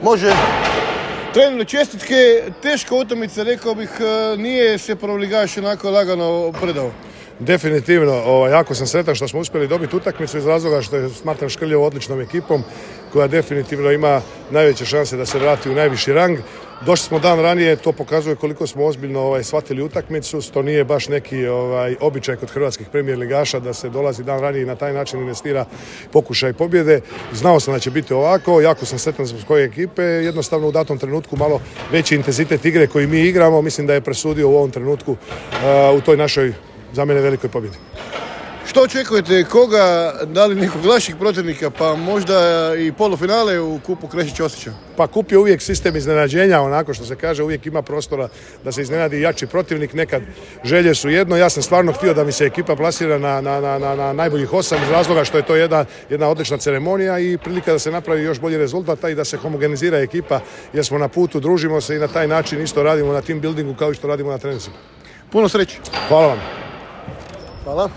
Može. Treneru, čestitke, teška utakmica, rekao bih, nije se prvoligaš onako lagano predao. Definitivno, jako sam sretan što smo uspjeli dobiti utakmicu iz razloga što je smatram Škrljevo odličnom ekipom koja definitivno ima najveće šanse da se vrati u najviši rang. Došli smo dan ranije, to pokazuje koliko smo ozbiljno shvatili utakmicu. To nije baš neki običaj kod hrvatskih premijer ligaša da se dolazi dan ranije i na taj način investira pokušaj pobjede. Znao sam da će biti ovako, jako sam sretan zbog koje ekipe. Jednostavno u datom trenutku malo veći intenzitet igre koji mi igramo, mislim da je presudio u ovom trenutku u toj našoj, za mene, velikoj pobjedi. Što očekujete? Koga? Da li nekog lakšeg protivnika? Pa možda i polufinale u kupu Krešić-Osića? Pa kup je uvijek sistem iznenađenja, onako što se kaže, uvijek ima prostora da se iznenadi jači protivnik. Nekad želje su jedno. Ja sam stvarno htio da mi se ekipa plasira na najboljih 8 iz razloga što je to jedna odlična ceremonija i prilika da se napravi još bolji rezultat i da se homogenizira ekipa jer smo na putu, družimo se i na taj način isto radimo na team buildingu kao i što radimo na treninzima. Puno sreće. Hvala vam. Hvala.